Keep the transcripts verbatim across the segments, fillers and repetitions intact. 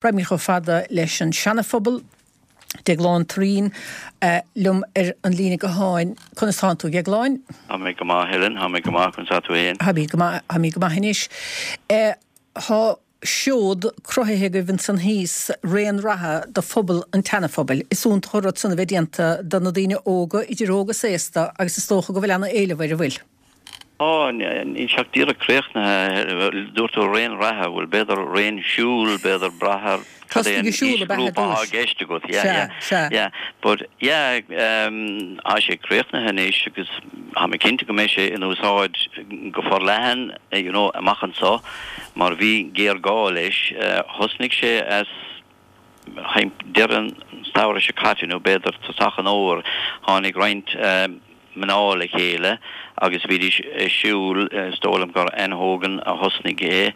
Raghaimid chomh fada leis an Seana-Phobal, Déaglán Thureen liom ar an líne gutháin. Conas tánn tú, Dhéagláin? Tá mé go maith, Helen, tá mé go maith, conas tá tú féin? Tá mé go maith, tá mé go maith anois. Tá seod cruthaithe agaibh ansan thíos, raon reatha do phobal an tSeana-Phobail. Is iontach an rud san a bheith déanta do na daoine óga, idir óg is aosta, agus is dócha go bhfuil ana-éileamh air, an bhfuil? Á, níl sé ach díreach críochnaithe. Dúirt tú raon reatha, bhuel, b'fhéidir raon siúil, b'fhéidir brath ar cad é an aoisghrúpa atá i gceist agat. Yeah, yeah, Sea, sea. yeah. But, yeah, tá sé críochnaithe anois agus tá mé cinnte go mbeidh sé in úsáid go forleathan, you know, amach anseo mar bhí géarghá leis. Thosnaigh sé as deireadh an tsamhraidh seo caite nó b'fhéidir tosach an fhómhair, tháinig roinnt mná le chéile agus bhídís ag siúl, is dóigh liom gur Anne Hogan a thosnaigh é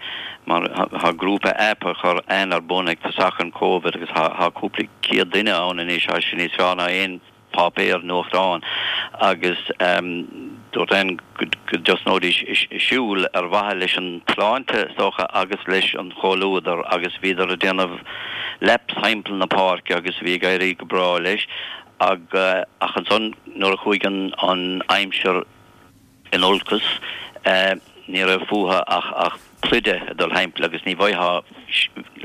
mar tá grúpa aip a chuir Anne ar bun ag tosach an Covid agus tá cúpla céad duine ann anois, tá sé níos fearr ná aon páipéar nuachtáin agus dúirt Anne go dtosnóidís ag siúl ar mhaithe leis an tsláinte is dócha agus leis an chomhluadar agus bhíodar ag déanamh laps thimpeall na páirce agus bhí ag éirí go breá leis. Ach ansan nuair a chuaigh an aimsir in olcas ní raibh fúthu ach pluide ag dul thimpeall agus ní bhfaightheá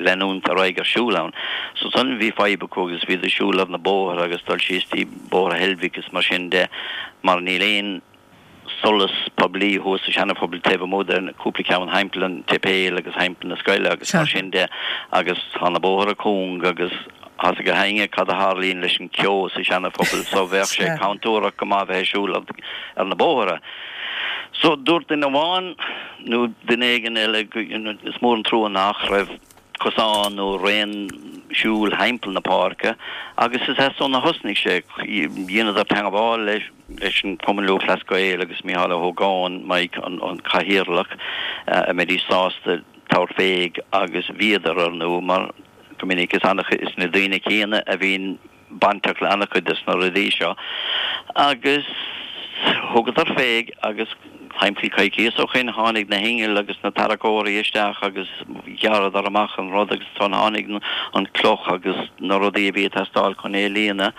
leanúint ar aghaidh ar siúl ann. So ansan bhí fadhb acu agus bhíodar ag siúl ar na bóithre agus dul síos dtí Bóthar Heilbhic is mar sin de mar níl aon solas poiblí thuas sa Seana-Phobal taobh amuigh de cúpla ceann thimpeall an tséipéil agus thimpeall na scoile agus mar sin de agus tá na bóithre cúng agus tá 's ag gach éinne cad a tharlaíonn leis an ceo sa Seana-Phobal so bheadh sé contúirteach go maith bheith ag siúl ar na bóithre. So dúirt duine amháin nó duine éigin eile is mór an trua nach raibh cosán nó raon siúil thimpeall na páirce agus is as san a thosnaigh sé. Dheineadar teangmháil leis an Cumann Lúthchleas Gael agus Mícheál Ó hÓgáin, Mike, an cathaoirleach, a mbeidís sásta tabhairt fé agus bhíodar, ar ndóigh, mar go minic is is na daoine céanna a bhíonn bainteach le an-chuid de na rudaí seo agus thugadar fé agus timpeall coicíos ó shin tháinig na hinnill agus na tarracóirí isteach agus ghearradar amach an rud agus ansan tháinig an cloch agus na rudaí a bhí ag teastáil chun é a líonadh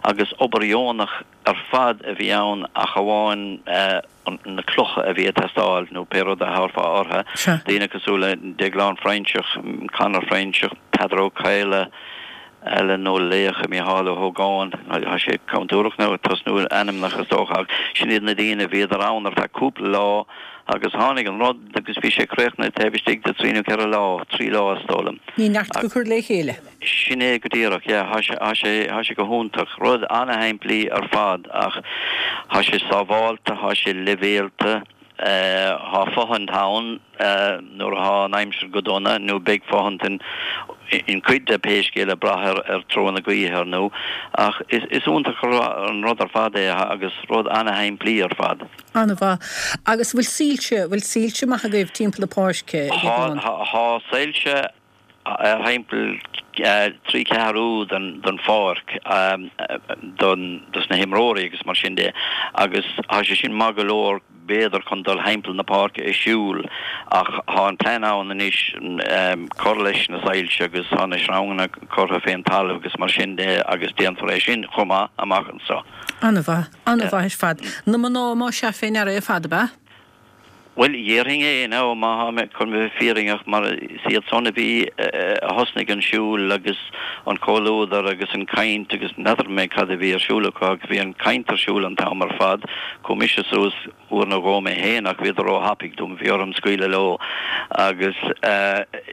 agus obair dheonach ar fad a bhí ann ach amháin na clocha a bhí ag teastáil nó pé rud a thabharfá orthu, daoine cosúil le Déaglán Freinseach, Conor Freinseach, Peadar Ó Cadhla, Alan Ó Laocha, Mícheál Ó hÓgáin, tá sé contúirteach now tosnú ag ainmneacha is dócha ach sin iad na daoine a bhíodar ann ar feadh cúpla lá agus tháinig an rud agus bhí sé críochnaithe taobh istigh de trí nó ceithre lá, trí lá is dóigh liom. Ní neart go cur le chéile. Sin é go díreach, yeah, tá sé, tá sé, tá sé go hiontach. Rud ana-shimplí ar fad ach tá sé sábhálta, tá sé leibhéalta. Tá fothaint ann nuair atá an aimsir go dona, nó beidh fothaint in cuid de pé scéal ag brath ar treo na gaoithe ar ndóigh, ach is iontach an rud ar fad é agus rud ana-shimplí ar fad. An-mhaith. Agus bhfuil soilse, bhfuil soilse maith agaibh timpeall na páirce? Tá, tá soilse ar thimpeall trí ceathrú den pháirc don dos na himreoirí agus mar sin de agus tá sé sin maith go leor b'fhéidir chun dul thimpeall na páirce ag siúl ach tá an plean ann anois cur leis na soilse agus tá na sreanganna curtha fén talamh agus mar sin de agus déanfar é sin chomh maith amach anseo. An-mhaith, an-mhaith ar fad. Na mná más ea fé ndeara ar fad, ab ea? Bhuel, dhéarfainn é now, má tá mé chun bheith fírinneach, mar is iad san a bhí, a thosnaigh an siúl agus an comhluadar agus an caint agus n'fheadar mé cad a bhí ar siúl acu ach bhí an caint ar siúl an t-am ar fad. Chuaigh mise suas uair nó dhó mé féin ach bhíodar ró-thapaidh dom, bhí orm scaoileadh leo agus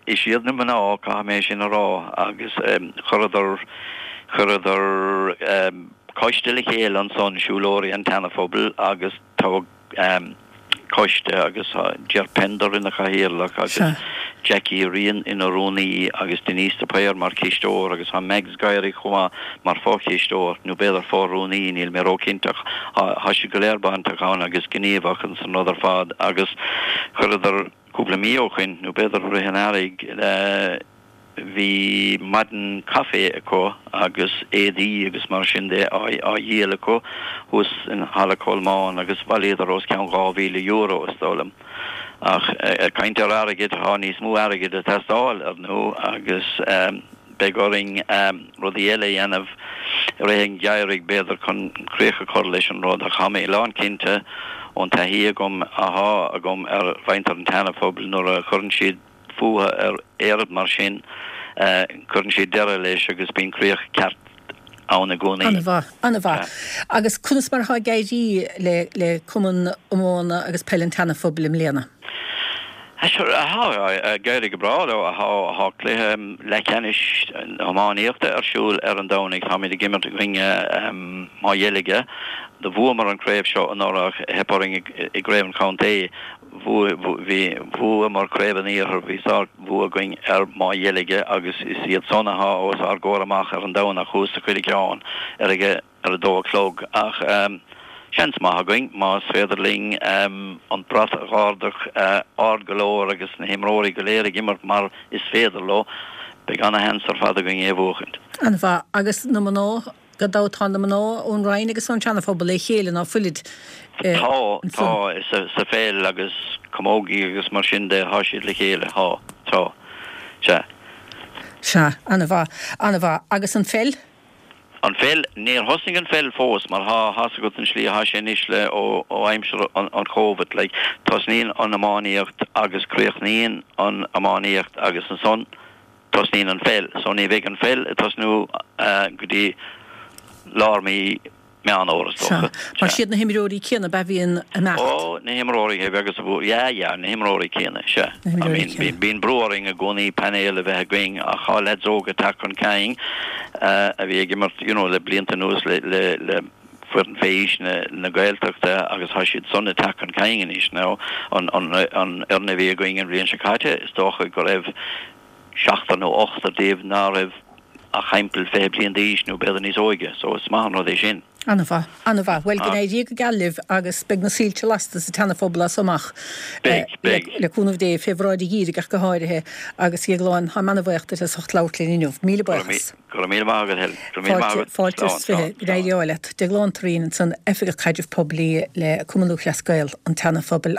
is iad na mná, caithfidh mé sin a rá, agus chuireadar, chuireadar coiste le chéile ansan, Siúlóirí an tSeana-Phobail agus toghadh, coiste agus tá Ger Pender ina chathaoirleach agus Jackie Ryan ina rúnaí agus Denise de Paor mar chisteoir agus tá Mags Guiry chomh maith mar fho-chisteoir, nó b'fhéidir fo-rúnaí, níl mé ró-chinnte ach tá siad go léir bainteach ann agus gníomhach ins an rud ar fad agus chuireadar cúpla mí ó shoin, nó b'fhéidir rith an earraigh, Bhí maidin caife acu agus éadaí agus mar sin de á dhíol acu thuas in Halla Cholmáin agus bhailíodar os cionn dhá mhíle euro is dóigh liom Ach ag caint ar airgead, tá níos mó airgid ag teastáil ar ndóigh agus beidh orainn rudaí eile a dhéanamh i rith an gheimhridh b'fhéidir chun críoch a chur leis an rud ach tá mé lánchinnte ón taithí agam athá agam ar mhuintir an tSeana-Phobail nuair a chuireann siad fúthu ar oiread mar sin cuireann siad deireadh leis agus bíonn críoch ceart ann i gcónaí. An-mhaith, an-mhaith. Agus conas mar atá ag éirí le le Cumann Iomána agus Peile an tSeana-Phobail i mbliana? Sure, tá ag éirí go breá leo. Tá cluiche leathcheannais na hiománaíochta ar siúl ar an Domhnach. Táimid ag imirt i gcoinne Maigh Dheilge. Do bhuamar an craobh seo anuraidh ach theip orainn i gcraobh an chontae. Bhuamar craobh an iarthair, bhí sár-bhua againn ar Maigh Dheilge agus is iad san atá os ár gcomhair amach ar an Domhnach thuas sa Choileacán ar a ar a dó a chlog. Ach seans maith againn más féidir linn an brat a dh'ardach ard go leor agus na himreoirí go léir ag imirt mar is féidir leo, beidh ana-sheans ar fad againn é a bhuachaint. An-mhaith. Agus na mná, gan dabht tá na mná ón Rinn agus ón Seana-Phobal le chéile, ná fuilid? Tá, tá, sa pheil agus camógaí agus mar sin de, tá siad le chéile, tá, tá, sea. Sea, an-mhaith, an-mhaith. Agus an pheil? An pheil, níor thosnaigh an pheil fós mar thá thá's agat an slí athá sé anois le ó ó aimsir an an Covid like tosnaíonn an iománaíocht agus críochnaíonn an iománaíocht agus ansan tosnaíonn an pheil so ní bheidh an pheil ag tosnú go dtí lár mí Meán Fhómhair is dócha. Mar siad na himreoirí céanna ab ea a bhíonn ag imeacht? Ó, na himreoirí agus a bhú, yeah, yeah, na himreoirí céanna, sea. Na himreoirí céanna. I mean, bíonn brú orainn i gcónaí painéal a bheith againn ach tá leaids óga ag teacht chun cinn a bhí ag imirt, you know, le blianta anuas le, le, le foireann fé aois na, na Gaeltachta agus tá siad san ag teacht chun cinn anois now. An, an, an fhoireann a bhí againn an bhliain seo caite, is dócha go raibh seachtar nó ochtar díobh ná raibh ach thimpeall fiche bliain d'aois nó b'fhéidir níos óige, so is maith an rud é sin. An-mhaith, an-mhaith. Bhuel, go n-éirí go geal libh agus beidh na soilse lasta sa tSeana-Phobal as so amach. Beidh, beidh. Le cúnamh Dé, fé bhráid an gheimhridh ach go háirithe, agus a Dhéagláin, táim ana-bhaoch duit as ucht labhairt linn inniu. Míle buíochas. Go raibh míle maith agat, Helen. Go raibh míle maith agat. Fáilte is fiche. Go n-éirí ádh leat. Déaglán Turraoin ansan, Oifigeach Caidrimh Poiblí le Cumann Lúthchleas Gael an tSeana-Phobail.